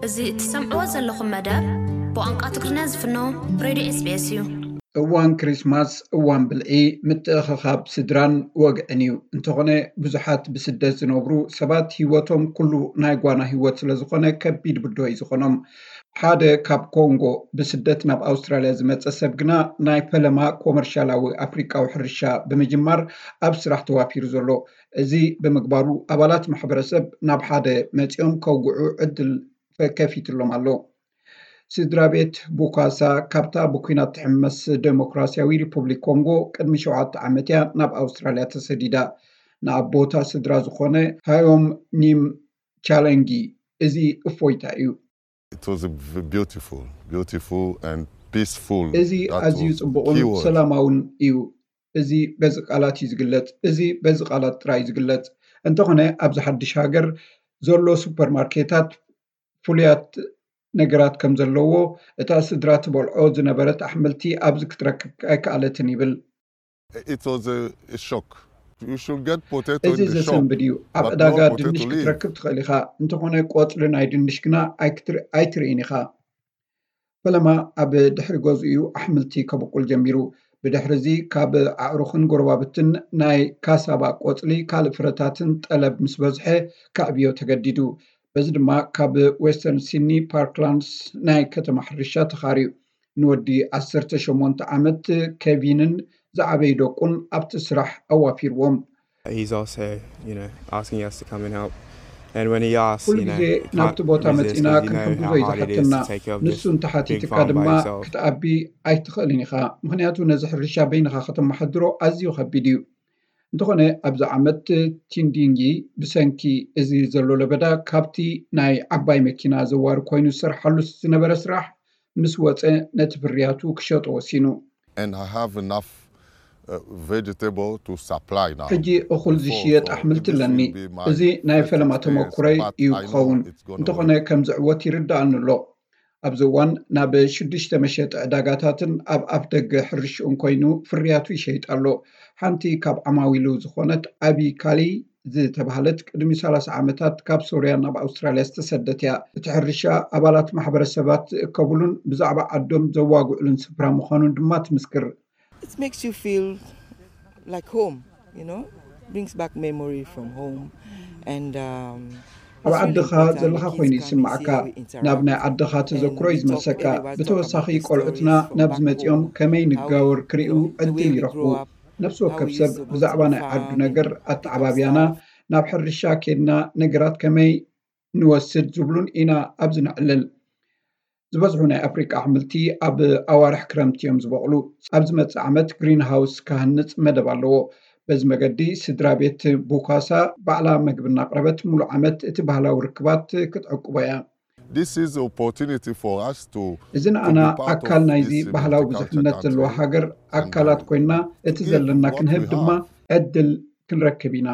እዚ እትሰምዕዎ ዘለኹም መደብ ብቋንቋ ትግርኛ ዝፍኖ ሬድዮ ኤስቢኤስ እዩ። እዋን ክሪስማስ እዋን ብልዒ፣ ምትእኽኻብ ስድራን ወግዕን እዩ። እንተኾነ ብዙሓት ብስደት ዝነብሩ ሰባት ህይወቶም ኩሉ ናይ ጓና ህይወት ስለዝኾነ ከቢድ ብድሆ እዩ ዝኾኖም። ሓደ ካብ ኮንጎ ብስደት ናብ ኣውስትራልያ ዝመፀ ሰብ ግና ናይ ፈለማ ኮመርሻላዊ ኣፍሪቃዊ ሕርሻ ብምጅማር ኣብ ስራሕ ተዋፊሩ ዘሎ። እዚ ብምግባሩ ኣባላት ማሕበረሰብ ናብ ሓደ መፂኦም ከውግዑ ዕድል ከፊትሎም ኣሎ። ስድራ ቤት ቡካሳ ካብታ ብኲናት ትሕመስ ዴሞክራሲያዊ ሪፑብሊክ ኮንጎ ቅድሚ ሸውዓተ ዓመት እያ ናብ ኣውስትራልያ ተሰዲዳ። ንኣቦታ ስድራ ዝኾነ ሃዮም ኒም ቻለንጊ እዚ እፎይታ እዩ። It was a v- beautiful, beautiful and peaceful. እዚ That ኣዝዩ was ጽቡቕን key word. ሰላማውን እዩ። እዚ በዚ ቃላት እዩ ዝግለጽ። እዚ በዚ ቃላት ጥራይ እዩ ዝግለጽ። እንተኾነ ኣብዚ ሓድሽ ሃገር ዘሎ ሱፐርማርኬታት ፍሉያት ነገራት ከም ዘለዎ፣ እታ ስድራ ትበልዖ ዝነበረት ኣሕምልቲ ኣብዚ ክትረክብ ኣይከኣለትን ይብል። It was a, a shock. You should get potato እዚ in the shop, ዘሰንብድ እዩ። ኣብ but ዕዳጋ not potato ድንሽ leaf. ክትረክብ ትኽእል ኢኻ፣ እንተኾነ ቆጽሊ ናይ ድንሽ ግና ኣይክትር- ኣይትርእይን ኢኻ። ፈለማ ኣብ ድሕሪ ገዝኡ እዩ ኣሕምልቲ ከብቁል ጀሚሩ። ብድሕሪ እዚ ካብ ኣዕሩኽን ጎረባብትን ናይ ካሳባ ቆጽሊ ካልእ ፍረታትን ጠለብ ምስ በዝሐ ከዕብዮ ተገዲዱ። በዚ ድማ ካብ ዌስተርን ሲድኒ ፓርክላንድስ ናይ ከተማ ሕርሻ ተኻርዩ። ንወዲ ዓሰርተ ሸሞንተ ዓመት ኬቪንን ዝዓበዩ ደቁን ኣብቲ ስራሕ ኣዋፊርዎም። He's also, you know, asking us to come and help. And when he asks, ኩሉ you know, ግዜ you can't ናብቲ ቦታ resist መጺና 'cause you know ክንሕግዞ how እዩ hard it is ዝሓተና። to take care of ንሱ this እንተሓቲትካ big farm by ድማ yourself. ክትኣቢ ኣይትኽእልን ኢኻ፣ ምኽንያቱ ነዚ ሕርሻ በይንኻ ከተመሓድሮ ኣዝዩ ከቢድ እዩ። እንተኾነ ኣብዚ ዓመት ቲንዲንጊ ብሰንኪ እዚ ዘሎ ለበዳ ካብቲ ናይ ዓባይ መኪና ዘዋሪ ኮይኑ ዝሰርሓሉ ዝነበረ ስራሕ ምስ ወፀ ነቲ ፍርያቱ ክሸጦ ወሲኑ። And I have enough uh, vegetable to supply now. ሕጂ እኹል Before, ዝሽየጥ so ኣሕምልቲ this ኣለኒ። will be my እዚ ናይ first ፈለማ experience, ተመኩሮይ but እዩ I know ክኸውን። it's gonna እንተኾነ work. ከም ዝዕወት ይርዳእኒ ኣሎ። ኣብዚ እዋን ናብ ሽዱሽተ መሸጢ ዕዳጋታትን ኣብ ኣፍ ደገ ሕርሽኡን ኮይኑ ፍርያቱ ይሸይጥ ኣሎ። ሓንቲ ካብ ዓማዊሉ ዝኾነት ኣቢ ካሊ ዝተባህለት ቅድሚ ሰላሳ ዓመታት ካብ ሶርያ ናብ ኣውስትራልያ ዝተሰደት እያ። እቲ ሕርሻ ኣባላት ማሕበረሰባት ዝእከብሉን ብዛዕባ ዓዶም ዘዋግዕሉን ስፍራ ምዃኑን ድማ ትምስክር። It makes you feel like home, you know, brings back memory from home. And um, ኣብ ዓድኻ ዘለኻ ኮይኑ ይስምዓካ። ናብ ናይ ዓድኻ ተዘክሮ እዩ ዝመልሰካ። ብተወሳኺ ቆልዑትና ናብዚ መጺኦም ከመይ ንጋወር ክርእዩ ዕድል ይረኽቡ። ነፍሲ ወከፍ ሰብ ብዛዕባ ናይ ዓዱ ነገር ኣተዓባብያና፣ ናብ ሕርሻ ኬድና ነገራት ከመይ ንወስድ ዝብሉን ኢና ኣብዚ ነዕልል። ዝበዝሑ ናይ ኣፍሪቃ ኣሕምልቲ ኣብ ኣዋርሕ ክረምቲ እዮም ዝበቕሉ። ኣብ ዝመጽእ ዓመት ግሪንሃውስ ክሃንጽ መደብ ኣለዎ። በዚ መገዲ ስድራ ቤት ቡካሳ ባዕላ መግቢ እናቕረበት ሙሉእ ዓመት እቲ ባህላዊ ርክባት ክትዕቅቦ እያ። This is opportunity for us to እዚ ንኣና ኣካል ናይዚ ባህላዊ ብዙሕነት ዘለዎ ሃገር ኣካላት ኮይና እቲ ዘለና ክንህብ ድማ ዕድል ክንረክብ ኢና።